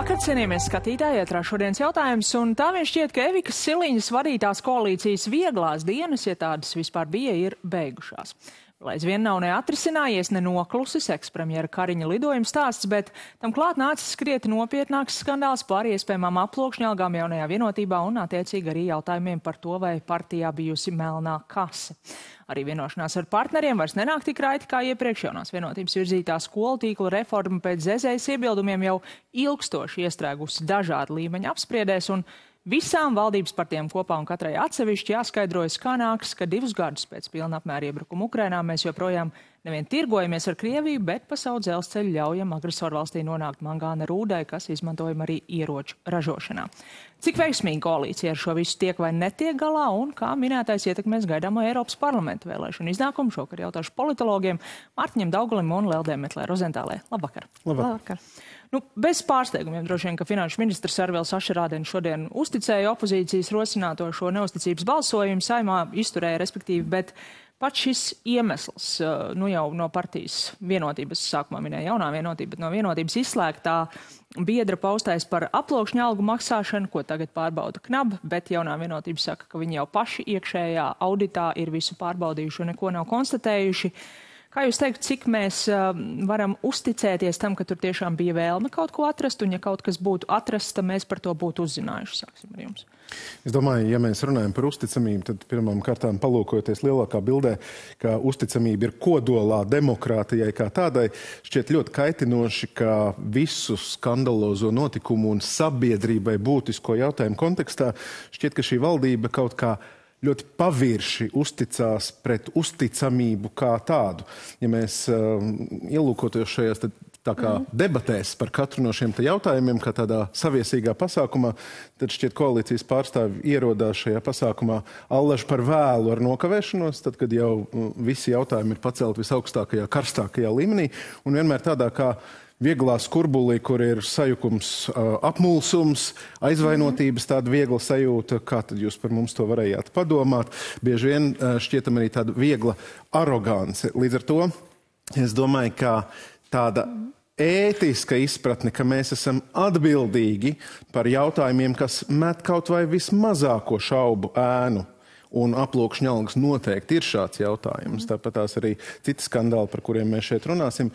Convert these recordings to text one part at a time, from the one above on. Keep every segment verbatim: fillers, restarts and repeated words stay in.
Labvakar, cienījamies skatītāji, ietrā šodienas jautājums, un tā vien šķiet, ka Evikas Siliņas vadītās koalīcijas vieglās dienas, ja tādas vispār bija, ir beigušās. Lai aizvien nav neatrisinājies, ne noklusis ekspremjera Kariņa lidojuma stāsts, bet tam klāt nācis skrieti nopietnāks skandāls par iespējamām aploksņalgām jaunajā vienotībā un attiecīgi arī jautājumiem par to, vai partijā bijusi melnā kase. Arī vienošanās ar partneriem vairs nenāk tik raiti kā iepriekš. Jaunās vienotības virzītā skolu tīkla reforma pēc Zezējas iebildumiem jau ilgstoši iestrēgusi dažādu līmeņu apspriedēs, un visām valdības partijām kopā un katrai atsevišķi jāskaidrojas, kā nāks, ka divus gadus pēc pilna apmēra iebrukuma Ukrainā mēs joprojām nevien tirgojamies ar Krieviju, bet pa savu dzelzceļu ļaujam agresoru valstī nonākt mangāna rūdai, kas izmantojama arī ieroču ražošanā. Cik veiksmīgi koalīcija ar šo visu tiek vai netiek galā un kā minētais ietekmēs gaidāmo Eiropas parlamenta vēlēšanu iznākumu? Šokar jautāšu politologiem Mārtiņam Daugalim un Leldē Metlē Rozentālē. Labvakar! Labvakar! Nu, bez pārsteigumiem droši vien, ka finanšu ministrs Arvils Ašerādens šodien uzticēja opozīcijas rosināto šo neusticības balsojumu, Saeimā izturēja respektīvi, bet pats šis iemesls, nu jau no partijas vienotības, sākumā minēja jaunā vienotība, bet no vienotības izslēgtā biedra paustais par aploksņu algu maksāšanu, ko tagad pārbauda Knab, bet jaunā vienotība saka, ka viņi jau paši iekšējā auditā ir visu pārbaudījuši un neko nav konstatējuši. Kā jūs teikt, cik mēs uh, varam uzticēties tam, ka tur tiešām bija vēlme kaut ko atrast, un ja kaut kas būtu atrasts, tad mēs par to būtu uzzinājuši? Sāksim ar jums. Es domāju, ja mēs runājam par uzticamību, tad pirmām kārtām palūkojoties lielākā bildē, ka uzticamība ir kodolā demokrātijai kā tādai, šķiet ļoti kaitinoši, ka visu skandalozo notikumu un sabiedrībai būtisko jautājumu kontekstā šķiet, ka šī valdība kaut kā ļoti pavirši uzticās pret uzticamību kā tādu. Ja mēs uh, ielūkoties šajās tad, tā kā mm. debatēs par katru no šiem jautājumiem, kā tādā saviesīgā pasākumā, tad šķiet koalīcijas pārstāvi ierodās šajā pasākumā allaž par vēlu ar nokavēšanos, tad, kad jau visi jautājumi ir pacelti visaugstākajā, karstākajā līmenī, un vienmēr tādā kā vieglā skurbulī, kur ir sajukums, apmulsums, aizvainotības, tāda viegla sajūta, kā tad jūs par mums to varējāt padomāt. Bieži vien šķietam arī tāda viegla arogance. Līdz ar to es domāju, ka tāda ētiska izpratne, ka mēs esam atbildīgi par jautājumiem, kas met kaut vai vismazāko šaubu ēnu. Un aploksņa algas noteikti ir šāds jautājums. Tāpat tās arī citi skandāli, par kuriem mēs šeit runāsim.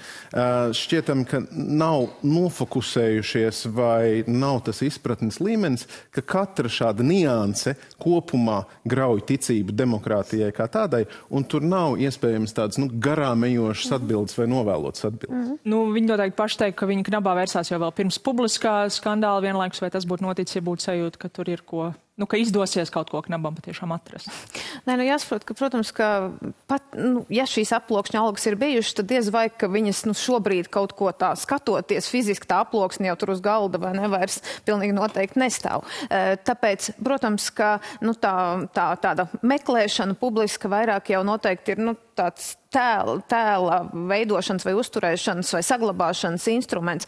Šķietam, ka nav nofokusējušies vai nav tas izpratnes līmenis, ka katra šāda nianse kopumā grauj ticību demokrātijai kā tādai, un tur nav iespējams tādas nu, garām ejošas atbildes vai novēlotas atbildes. Mm. Nu, viņi noteikti paši teikt, ka viņi Knabā vērsās jau vēl pirms publiskā skandāla vienlaikus, vai tas būtu noticis, ja būtu sajūta, ka tur ir ko... Nu, ka izdosies kaut ko Knabam patiešām atrast. Nē, nu jāsaprot, ka, protams, ka pat, nu, ja šīs aploksņa algas ir bijušas, tad diez vai, ka viņas nu, šobrīd kaut ko tā skatoties, fiziski tā aploksne jau tur uz galda vai nevairs pilnīgi noteikti nestāv. Tāpēc, protams, ka nu, tā, tā, tāda meklēšana publiska vairāk jau noteikti ir nu, tāds tēla, tēla veidošanas vai uzturēšanas vai saglabāšanas instruments.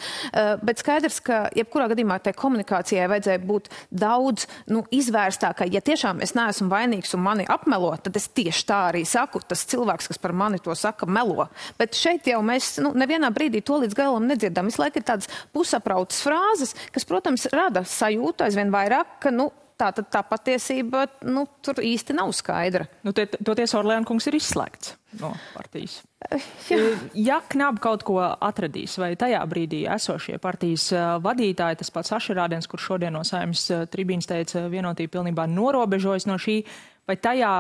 Bet skaidrs, ka jebkurā gadījumā tai komunikācijai vajadzēja būt daudz nu, izvērstākai. Ja tiešām es neesmu vainīgs un mani apmelo, tad es tieši tā arī saku. Tas cilvēks, kas par mani to saka, melo. Bet šeit jau mēs nu, nevienā brīdī to līdz galam nedzirdam. Visu laiku ir tādas pusaprautas frāzes, kas, protams, rada sajūtu aizvien vairāk, ka nu, tā, tā patiesība nu, tur īsti nav skaidra. Nu, tie, toties Orleāna kungs ir izslēgts no partijas. Jā. Ja Knab kaut ko atradīs, vai tajā brīdī esošie partijas vadītāji, tas pats Ašerādens, kurš šodien no Saeimas tribīnas teica, vienotība pilnībā norobežojas no šī, vai tajā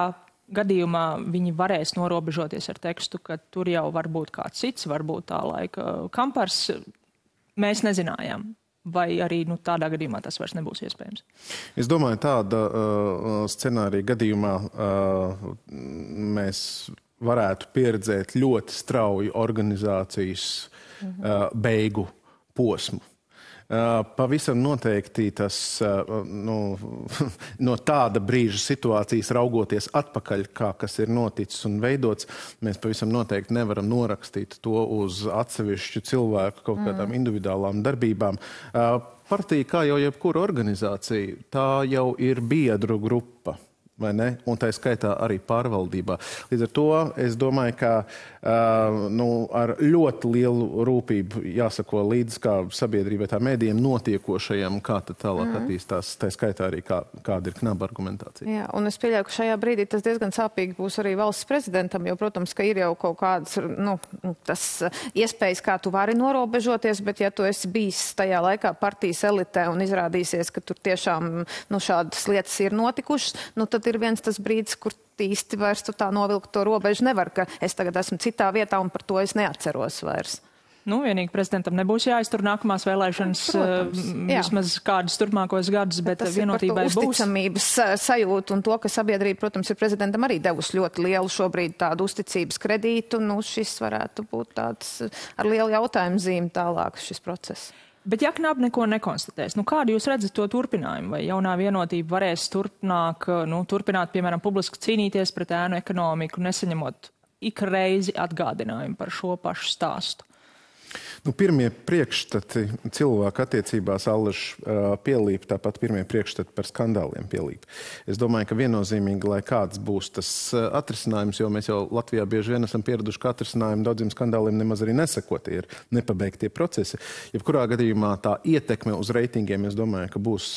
gadījumā viņi varēs norobežoties ar tekstu, ka tur jau var būt kāds cits, varbūt tā laika Kampars, mēs nezinājām. Vai arī nu, tādā gadījumā tas vairs nebūs iespējams? Es domāju, tāda uh, scenārija gadījumā uh, mēs varētu pieredzēt ļoti strauju organizācijas uh, beigu posmu. Uh, pavisam noteikti tas uh, nu, no tāda brīža situācijas raugoties atpakaļ, kā kas ir noticis un veidots, mēs pavisam noteikti nevaram norakstīt to uz atsevišķu cilvēku kaut kādām mm. individuālām darbībām. Uh, partija, kā jau jebkura organizācija, tā jau ir biedru grupa. vai ne? Un tā skaitā arī pārvaldībā. Līdz ar to es domāju, ka uh, nu, ar ļoti lielu rūpību jāsako līdz kā sabiedrībai tā mēdījiem notiekošajam, kā tad tālāk mm. attīstās, tā skaitā arī kā, kāda ir knaba argumentācija. Jā, un es pieļauju, ka šajā brīdī tas diezgan sāpīgi būs arī valsts prezidentam, jo, protams, ka ir jau kaut kādas, nu, tas iespējas, kā tu vari norobežoties, bet ja tu esi bijis tajā laikā partijas elitē un izrādīsies, ka tur tiešām, nu, šādas lietas ir notikušas, nu, tad ir viens tas brīdis, kur īsti vairs tu tā novilkt to robežu nevar, ka es tagad esmu citā vietā un par to es neatceros vairs. Nu, vienīgi prezidentam nebūs jāiztur nākamās vēlēšanas, Protams, vismaz kādus turpmākos gadus, bet tas vienotībai būs. Tas ir par to uzticamības sajūtu un to, ka sabiedrība, protams, ir prezidentam arī devusi ļoti lielu šobrīd tādu uzticības kredītu. Nu, šis varētu būt tāds ar lielu jautājumu zīmi tālāk šis process. Bet ja knaba neko nekonstatēs, nu kādu jūs redzat to turpinājumu? Vai jaunā vienotība varēs turpināk, nu, turpināt, piemēram, publiski cīnīties pret ēnu ekonomiku, nesaņemot ik reizi atgādinājumu par šo pašu stāstu? Nu, pirmie priekšstati cilvēku attiecībās allaž uh, pielīp, tāpat pirmie priekšstati par skandāliem pielīp. Es domāju, ka viennozīmīgi, lai kāds būs tas uh, atrisinājums, jo mēs jau Latvijā bieži vien esam pieraduši, ka atrisinājumu daudziem skandāliem nemaz arī neseko, tie ir nepabeigtie procesi. Jebkurā gadījumā tā ietekme uz reitingiem, es domāju, ka būs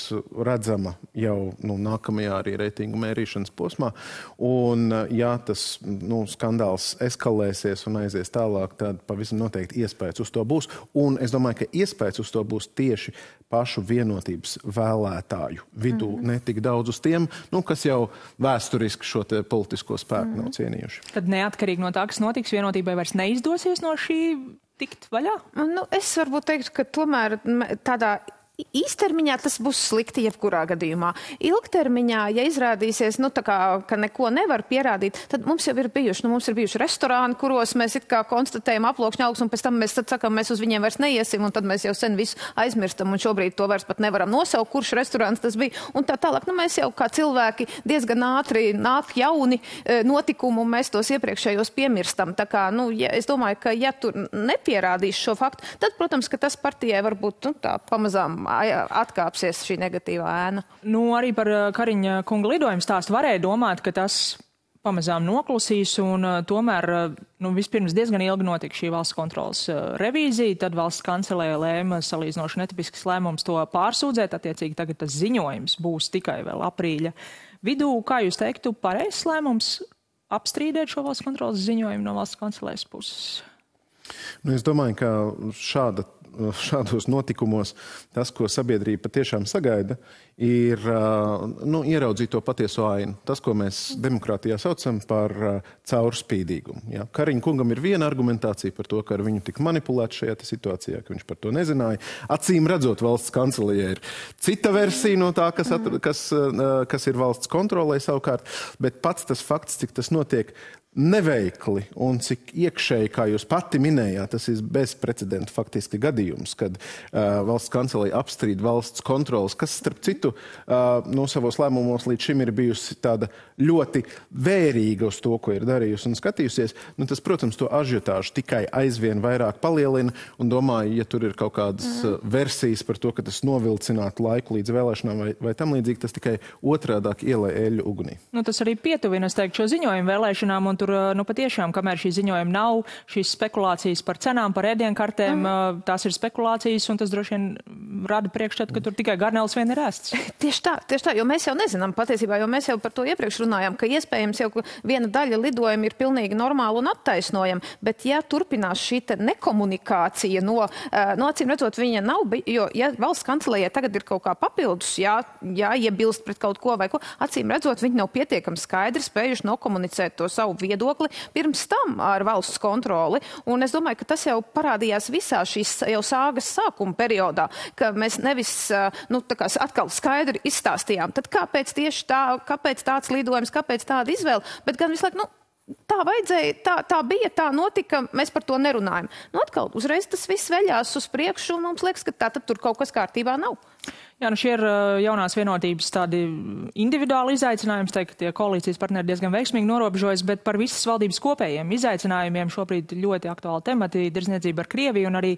redzama jau nu, nākamajā arī reitingu mērīšanas posmā. Un, uh, ja tas nu, skandāls eskalēsies un aizies tālāk, tad pavisam noteikti iespējas uz to būs. Un es domāju, ka iespējas uz to būs tieši pašu vienotības vēlētāju vidū, mm. ne tik daudz uz tiem, nu, kas jau vēsturiski šo te politisko spēku mm. nav cienījuši. Tad neatkarīgi no tā, kas notiks, vienotībai vairs neizdosies no šī tikt vaļā? Nu, es varbūt teiktu, ka tomēr tādā īstermiņā tas būs slikti jebkurā gadījumā. Ilgtermiņā, ja izrādīsies, nu, tā kā, ka neko nevar pierādīt, tad mums jau ir bijuši, nu, mums ir bijuši restorāni, kuros mēs it kā konstatējam aploksņa augus, un pēc tam mēs tad sakam, mēs uz viņiem vairs neiesim, un tad mēs jau sen visu aizmirstam, un šobrīd to vairs pat nevaram nosaukt, kurš restorāns tas bija, un tā tālāk. Nu, mēs jau kā cilvēki diezgan ātri nāk jauni notikumi, un mēs tos iepriekšējos piemirstam. Tā kā, nu, ja, es domāju, ka ja tur nepierādīs šo faktu, tad, protams, ka tas partijai varbūt, nu, tā pamazām atkāpsies šī negatīvā ēna. Nu, arī par Kariņa kunga lidojumu stāstu varēja domāt, ka tas pamazām noklusīs un tomēr nu, vispirms diezgan ilgi notika šī valsts kontrolas revīzija, tad valsts kancelēja lēma salīdzinoši netipisks lēmums to pārsūdzēt, attiecīgi tagad tas ziņojums būs tikai vēl aprīļa vidū. Kā jūs teiktu, pareizs lēmums apstrīdēt šo valsts kontrolas ziņojumu no valsts kancelējas puses? Nu, es domāju, ka šāda šādos notikumos tas, ko sabiedrība patiešām sagaida, ir nu, ieraudzīt to patieso ainu. Tas, ko mēs demokrātijā saucam par caurspīdīgumu. Ja? Kariņa kungam ir viena argumentācija par to, ka ar viņu tika manipulēts šajā situācijā, ka viņš par to nezināja. Acīm redzot, valsts kancelējai ir cita versija no tā, kas, at, kas, kas ir valsts kontrolē savukārt, bet pats tas fakts, cik tas notiek neveikli un cik iekšēji, kā jūs pati minējāt, tas ir bezprecedenta faktiski gadījums, kad uh, valsts kancelēja apstrīd valsts kontrolas, kas starp citu uh, no savos lēmumos līdz šim ir bijusi tāda ļoti vērīga uz to, ko ir darījusi un skatījusies. Nu, tas, protams, to ažiotāžu tikai aizvien vairāk palielina un domāju, ja tur ir kaut kādas uh, versijas par to, ka tas novilcinātu laiku līdz vēlēšanām vai, vai tam līdzīgi, tas tikai otrādāk ielē eļļu ugunī. Nu, tas arī pietuvina, es teiktu, šo ziņojumu vēlēšanām un tur, nu, patiešām, kamēr šī ziņojuma nav, šīs spekulācijas par cenām, par ēdienkartēm, mm. tās ir spekulācijas, un tas droši vien rada priekšstatu, ka tur tikai garnēls vien ir ēsts. Tieši tā, tieši tā, jo mēs jau nezinām patiesībā, jo mēs jau par to iepriekš runājām, ka iespējams jau viena daļa lidojuma ir pilnīgi normāla un attaisnojama, bet ja turpinās šī te nekomunikācija no, no acīm redzot, viņa nav, jo ja valsts kancelējai tagad ir kaut kā papildus, jā, jā, iebilst pret kaut ko vai ko, acīm redzot, viņi nav pietiekami skaidri spējuši nokomunicēt to savu viedokli pirms tam ar valsts kontroli. Un es domāju, ka tas jau parādījās visā šīs jau sāgas sākuma periodā, ka mēs nevis nu, tā kā atkal skaidri izstāstījām. Tad kāpēc tieši tā, kāpēc tāds lidojums, kāpēc tāda izvēle? Bet gan visu laiku, nu, tā vajadzēja, tā, tā bija, tā notika, mēs par to nerunājam. Nu, atkal uzreiz tas viss veļās uz priekšu un mums liekas, ka tā tad tur kaut kas kārtībā nav. Jā, nu šie ir jaunās vienotības tādi individuāli izaicinājumi, teikt, ka tie koalīcijas partneri diezgan veiksmīgi norobežojas, bet par visas valdības kopējiem izaicinājumiem šobrīd ļoti aktuāli temati - tirdzniecība ar Krieviju un arī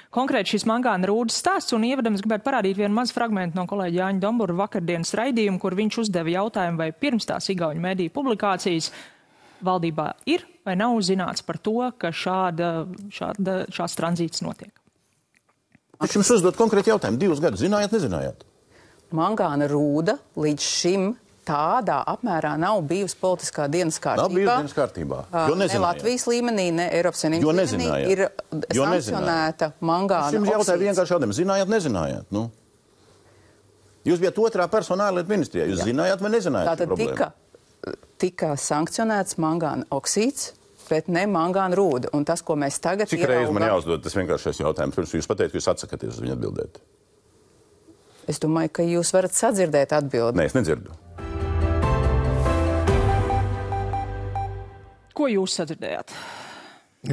konkrēti šis mangāna rūdas stāsts. Un ievadams gribētu parādīt vienu mazu fragmentu no kolēģa Jāņa Dombura vakardienas raidījuma, kur viņš uzdeva jautājumu, vai pirms tās igauņu mediju publikācijas valdībā ir vai nav zināts par to, ka šāda, šāda, šāds tranzīts notiek. Es jums uzdot konkrēti jautājumu. Divus gadus zinājāt, nezinājāt? Mangāna rūda līdz šim tādā apmērā nav bijusi politiskā dienas kārtībā. Nav bijusi dienas kārtībā, jo nezinājāt. Ne Latvijas līmenī, ne Eiropas Savienības līmenī ir jo sankcionēta mangāna oksīds. Es jums jautāju vienkārši jautājumu. Zinājāt, nezinājāt? Nu? Jūs bijat otrā persona ārlietu ministrijā. Jūs Jā. zinājāt vai nezinājāt? Tātad tika, tika sankcionēts mangāna oksīds, bet ne mangāna rūda. Un tas, ko mēs tagad Cik ieraugam... reizi man jāuzdod tas vienkāršais jautājums? Pirms jūs pateikt, ka jūs atsakaties uz viņu atbildēt. Es domāju, ka jūs varat sadzirdēt atbildi. Nē, es nedzirdu. Ko jūs sadzirdējāt?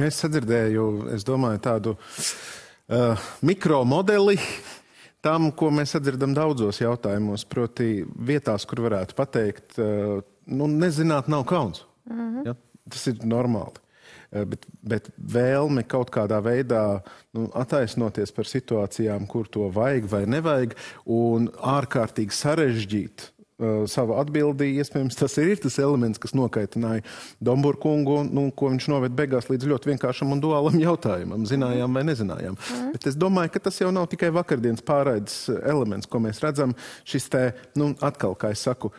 Es sadzirdēju, es domāju, tādu uh, mikromodeli tam, ko mēs sadzirdam daudzos jautājumos, proti vietās, kur varētu pateikt, uh, nu, nezināt nav kauns. Mm-hmm. Ja? Tas ir normāli. Bet, bet vēlme kaut kādā veidā nu, attaisnoties par situācijām, kur to vajag vai nevajag, un ārkārtīgi sarežģīt uh, savu atbildi, iespējams, tas ir tas elements, kas nokaitināja Domburu kungu, nu, ko viņš noved beigās līdz ļoti vienkāršam un duālam jautājumam, zinājām vai nezinājām. Mm. Bet es domāju, ka tas jau nav tikai vakardienas pārraides elements, ko mēs redzam, šis te, nu, atkal, kā es saku,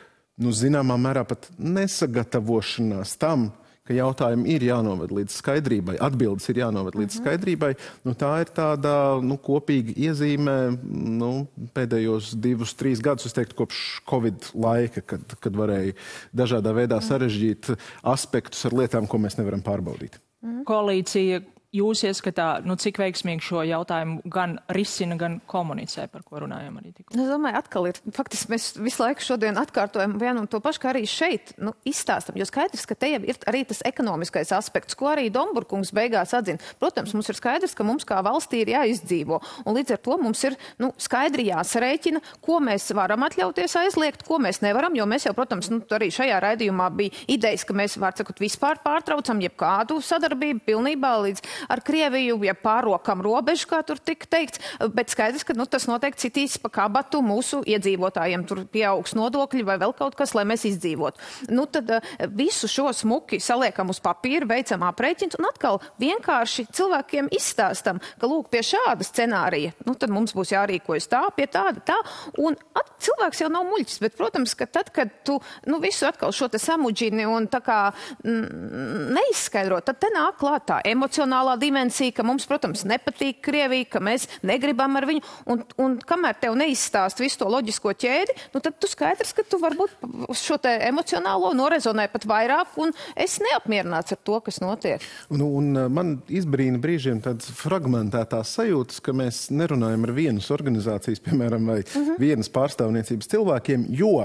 nu, zināmā mērā pat nesagatavošanās tam, ka jautājumi ir jānoved līdz skaidrībai, atbildes ir jānoved līdz uh-huh. skaidrībai. Nu, tā ir tāda nu, kopīga iezīme nu, pēdējos divus, trīs gadus, es teiktu, kopš Covid laika, kad, kad varēja dažādā veidā sarežģīt aspektus ar lietām, ko mēs nevaram pārbaudīt. Uh-huh. Koalīcija, jūs ieskatā, nu, cik veiksmīgi šo jautājumu gan risina, gan komunicē, par ko runājam arī tikko? Es domāju, atkal ir, faktiski mēs visu laiku šodien atkārtojam vienu un to pašu, kā arī šeit, nu, izstāstam, jo skaidrs, ka te jau ir arī tas ekonomiskais aspekts, ko arī Domburkungs beigās atzina. Protams, mums ir skaidrs, ka mums kā valstī ir jāizdzīvo, un līdz ar to mums ir, nu, skaidri jāsarēķina, ko mēs varam atļauties aizliegt, ko mēs nevaram, jo mēs jau, protams, nu, arī šajā raidījumā bija idejas, ka mēs, var sakot, vispār pārtraucam jebkādu sadarbību pilnībā līdz ar Krieviju, ja pārokam robežu, kā tur tika teikts, bet skaidrs, ka nu, tas noteikti citīs pa kabatu mūsu iedzīvotājiem. Tur pieaugs nodokļi vai vēl kaut kas, lai mēs izdzīvotu. Nu, tad visu šo smuki saliekam uz papīra, veicam aprēķins un atkal vienkārši cilvēkiem izstāstam, ka lūk, pie šāda scenārija, nu, tad mums būs jārīkojas tā, pie tāda, tā. Un at, cilvēks jau nav muļķis, bet, protams, ka tad, kad tu nu, visu atkal šo te samudžini un tā kā mm, neizskaidro, tad te nāk klāt tā emocionāla dimensija, ka mums, protams, nepatīk Krievija, ka mēs negribam ar viņu, un, un kamēr tev neizstāst visu to loģisko ķēdi, nu tad tu skaidrs, ka tu varbūt šo te emocionālo norezonē pat vairāk, un es neapmierināts ar to, kas notiek. Nu, un man izbrīna brīžiem tādas fragmentētās sajūtas, ka mēs nerunājam ar vienas organizācijas, piemēram, vai uh-huh. vienas pārstāvniecības cilvēkiem, jo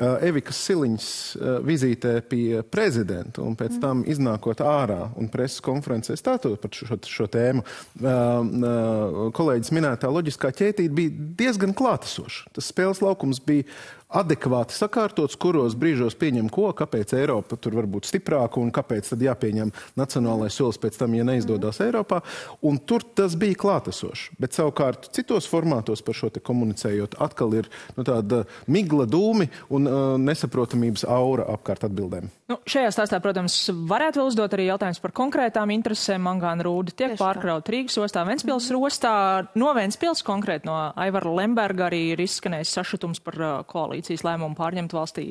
Evikas Siliņas vizītē pie prezidenta un pēc tam iznākot ārā un preses konferencē stātot par šo, šo tēmu, kolēģis minētā loģiskā ķētība bija diezgan klātesoša. Tas spēles laukums bija adekvāti sakārtots, kuros brīžos pieņem ko, kāpēc Eiropa tur var būt stiprāka un kāpēc tad jāpieņem nacionālais solis pēc tam, ja neizdodas mm. Eiropā. Un tur tas bija klātesoši. Bet savukārt citos formātos par šo te komunicējot atkal ir nu, tāda migla dūmi un uh, nesaprotamības aura apkārt atbildēm. Nu, šajā stāstā, protams, varētu vēl uzdot arī jautājums par konkrētām interesēm. Mangāna rūda tiek pārkraut Rīgas ostā, Ventspils mm. ostā. No Ventspils konkrēti no Aivara Lemberga arī ir izskanējis sašutums par uh, koalīcijas lēmumu pārņemt valstī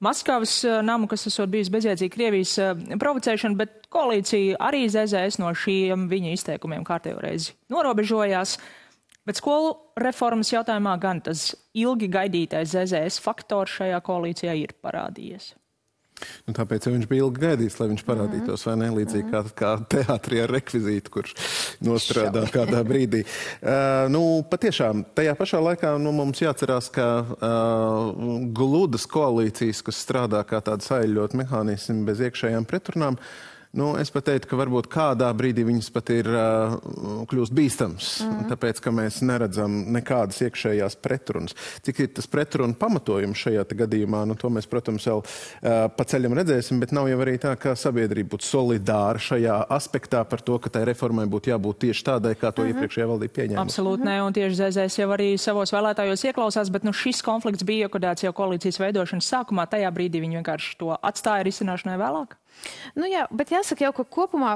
Maskavas namu, kas esot bijis bezjēdzīga Krievijas provocēšana, bet koalīcija arī Z Z S no šiem viņa izteikumiem kārtējo reizi norobežojās. Bet skolu reformas jautājumā gan tas ilgi gaidītais Z Z S faktors šajā koalīcijā ir parādījies. Nu, tāpēc jau viņš bija ilgi gaidījis, lai viņš parādītos, vai ne? Līdzīgi kā, kā teātrī ar rekvizītu, kurš nostrādā kādā brīdī. Uh, nu, patiešām, tajā pašā laikā nu, mums jāatcerās, ka uh, gludas koalīcijas, kas strādā kā tāda saeļļot mehānismi bez iekšējām pretrunām, Nu, es pat teiktu, ka varbūt kādā brīdī viņas pat ir uh, kļūst bīstams, mm. tāpēc, ka mēs neredzam nekādas iekšējās pretrunas. Cik ir tas pretruna pamatojums šajā gadījumā, nu, to mēs, protams, vēl uh, pa ceļam redzēsim, bet nav jau arī tā, ka sabiedrība būtu solidāra šajā aspektā par to, ka tai reformai būtu jābūt tieši tādai, kā to mm-hmm. iepriekšējā valdība pieņēma. Absolūti ne, un tieši Z Z S jau arī savos vēlētājos ieklausās, bet nu, šis konflikts bija iekodēts jau koalīcijas veidošanas sākumā, tajā brīdī viņi vienkārši to atstāja risināšanai vēlāk. Nu jā, bet jāsaka jau, ka kopumā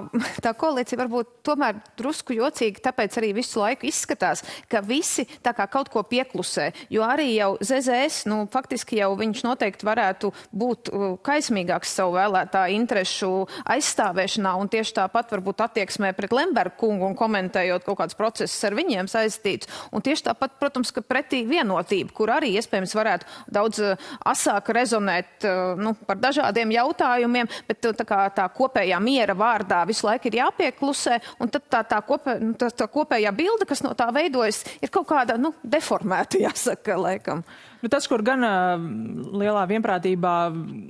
tā koalīcija varbūt tomēr drusku jocīgi, tāpēc arī visu laiku izskatās, ka visi tā kā kaut ko pieklusē, jo arī jau Z Z S, nu faktiski jau viņš noteikti varētu būt kaismīgāks savu vēlētāju interešu aizstāvēšanā un tieši tāpat varbūt attieksmē pret Lembergu kungu un komentējot kaut kāds process ar viņiem saistīts. Un tieši tāpat, protams, ka pretī vienotība, kur arī iespējams varētu daudz asāk rezonēt nu, par dažādiem jautājumiem, bet tā kā tā kopējā miera vārdā visu laiku ir jāpieklusē, un tad tā, tā, kopē, tā, tā kopējā bilde, kas no tā veidojas, ir kaut kāda, nu, deformēta, jāsaka, laikam. Nu, tas, kur gan uh, lielā vienprātībā,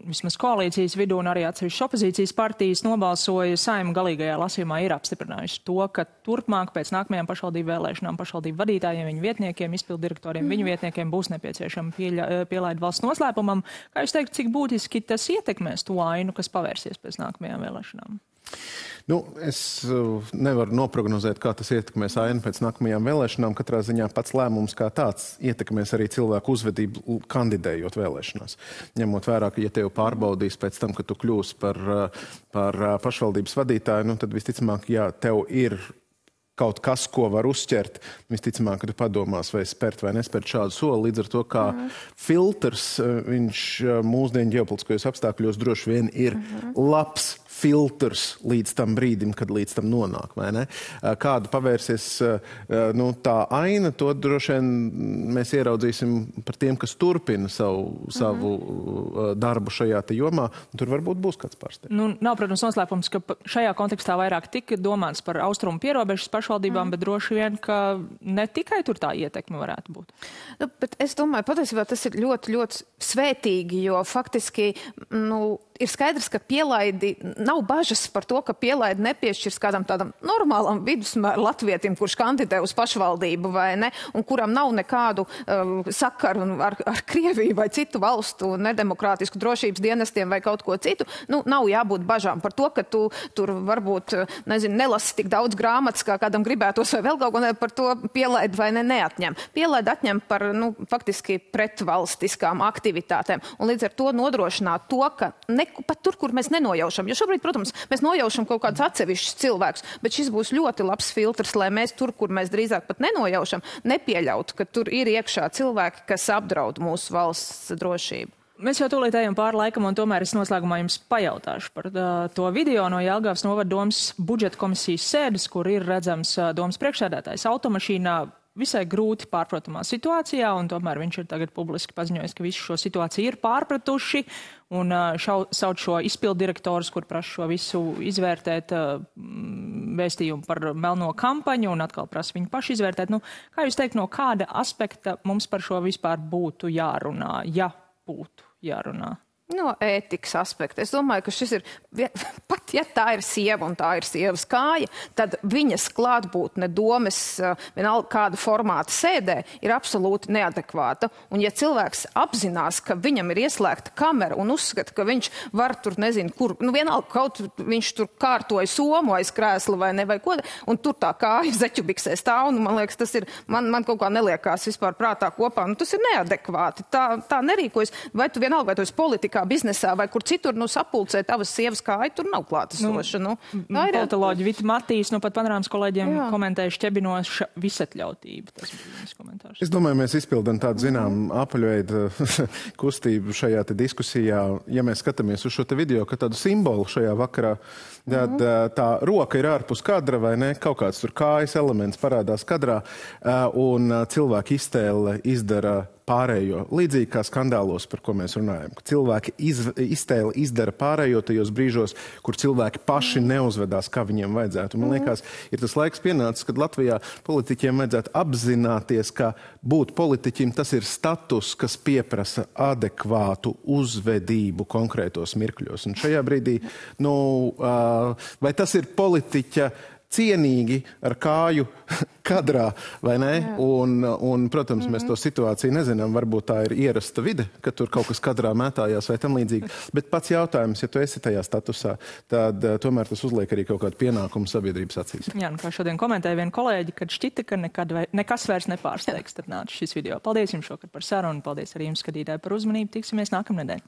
vismaz koalīcijas vidū un arī atsevišķas opozīcijas partijas nobalsoja Saeima galīgajā lasījumā, ir apstiprinājuši to, ka turpmāk pēc nākamajām pašvaldību vēlēšanām pašvaldību vadītājiem, viņu vietniekiem, izpildirektoriem, mm. viņu vietniekiem būs nepieciešama pieļa, pielaida valsts noslēpumam. Kā jūs teikt, cik būtiski tas ietekmēs to ainu, kas pavērsies pēc nākamajām vēlēšanām? Nu, es nevaru noprognozēt, kā tas ietekmēs ainu pēc nākamajām vēlēšanām. Katrā ziņā pats lēmums kā tāds ietekmēs arī cilvēku uzvedību kandidējot vēlēšanās. Ņemot vērā, ka ja tev pārbaudīs pēc tam, ka tu kļūsi par, par pašvaldības vadītāju, nu, tad visticamāk, ja tev ir kaut kas, ko var uzķert, visticamāk, ka tu padomās, vai spērt vai nespērt šādu soli. Līdz ar to, kā mm. filtrs, viņš mūsdienu ģeopolitiskajos apstākļos droši vien ir mm. labs filtrs līdz tam brīdim, kad līdz tam nonāk, vai ne? Kādu pavērsies nu, tā aina, to droši vien mēs ieraudzīsim par tiem, kas turpina savu, mm. savu darbu šajā te jomā. Tur varbūt būs kāds pārsteigums. Nu, nav, protams, noslēpums, ka šajā kontekstā vairāk tika domāts par austrumu pierobežas pašvaldībām, mm. bet droši vien, ka ne tikai tur tā ietekme varētu būt. Nu, bet es domāju, patiesībā tas ir ļoti, ļoti svētīgi, jo faktiski, nu, ir skaidrs, ka pielaidi nav bažas par to, ka pielaidi nepiešķirs kādam tādam normālam vidusmēra latvietim, kurš kandidē uz pašvaldību vai ne, un kuram nav nekādu uh, sakaru ar, ar Krieviju vai citu valstu nedemokrātisku drošības dienestiem vai kaut ko citu. Nu, nav jābūt bažām par to, ka tu tur varbūt, nezinu, nelasi tik daudz grāmatas, kā kādam gribētos vai vēl kaut ko, par to pielaidi vai ne neatņem. Pielaidi atņem par, nu, faktiski pretvalstiskām aktivitātēm, un līdz ar to nodrošināt to, ka ne pat tur, kur mēs nenojaušam. Jo šobrīd, protams, mēs nojaušam kaut kādus atsevišķus cilvēkus, bet šis būs ļoti labs filtrs, lai mēs tur, kur mēs drīzāk pat nenojaušam, nepieļautu, ka tur ir iekšā cilvēki, kas apdraud mūsu valsts drošību. Mēs jau tūlīt ejam pāri laikam, un tomēr es noslēgumā jums pajautāšu par uh, to video no Jelgavas novada domas budžeta komisijas sēdes, kur ir redzams uh, domas priekšsēdētājs automašīnā visai grūti pārprotamā situācijā, un tomēr viņš ir tagad publiski paziņojis, ka visu šo situāciju ir pārpratuši, un uh, šau, sauc šo izpildirektorus, kur prasa šo visu izvērtēt uh, vēstījumu par melno kampaņu, un atkal prasa viņu paši izvērtēt. Nu, kā jūs teikt, no kāda aspekta mums par šo vispār būtu jārunā, ja būtu jārunā? No ētikas aspekta. Es domāju, ka šis ir, pat ja tā ir sieva un tā ir sievas kāja, tad viņas klātbūtne domes, vienalga kāda formāta sēdē, ir absolūti neadekvāta. Un ja cilvēks apzinās, ka viņam ir ieslēgta kamera un uzskata, ka viņš var tur, nezinu, kur, nu vienalga kaut viņš tur kārtoja somu aiz krēsla vai ne, vai ko, un tur tā kāja zeķubiksē stāv, un man liekas, tas ir, man, man kaut kā neliekās vispār prātā kopā, nu tas ir neadekvāti. Tā, tā nerīkojas, vai tu vienalga, vai tu esi politikā, biznesā vai kur citur, nu, sapulcē tavas sievas kāja, tur nav klātesoša. Nu, nu, politoloģi Vita Matīs, nu, pat panorāmas kolēģiem jā. Komentēja šķebinoša visatļautība. Tas bija viņas komentārs. Es domāju, mēs izpildam tādu, zinām, apaļveidu kustību šajā te diskusijā. Ja mēs skatāmies uz šo te video, ka tādu simbolu šajā vakarā, tad mm. tā roka ir ārpus kadra vai ne, kaut kāds tur kājas elements parādās kadrā, un cilvēki iztēle izdara pārējo. Līdzīgi kā skandālos, par ko mēs runājam. Cilvēki iz, iztēli izdara pārējo tajos brīžos, kur cilvēki paši neuzvedās, kā viņiem vajadzētu. Man liekas, ir tas laiks pienācis, kad Latvijā politiķiem vajadzētu apzināties, ka būt politiķim tas ir status, kas pieprasa adekvātu uzvedību konkrētos mirkļos. Un šajā brīdī, nu, vai tas ir politiķa cienīgi ar kāju kadrā, vai ne? Un, un, protams, mēs to situāciju nezinām. Varbūt tā ir ierasta vide, ka tur kaut kas kadrā mētājās vai tam līdzīgi. Bet pats jautājums, ja tu esi tajā statusā, tad uh, tomēr tas uzliek arī kaut kādu pienākumu sabiedrības acīs. Jā, nu kā šodien komentēja viena kolēģi, kad šķita, ka nekad vai, nekas vairs nepārsteigs, tad nāca šis video. Paldies jums šokar par sarunu, paldies arī jums, skatītāji, par uzmanību. Tiksimies nākamnedēļ.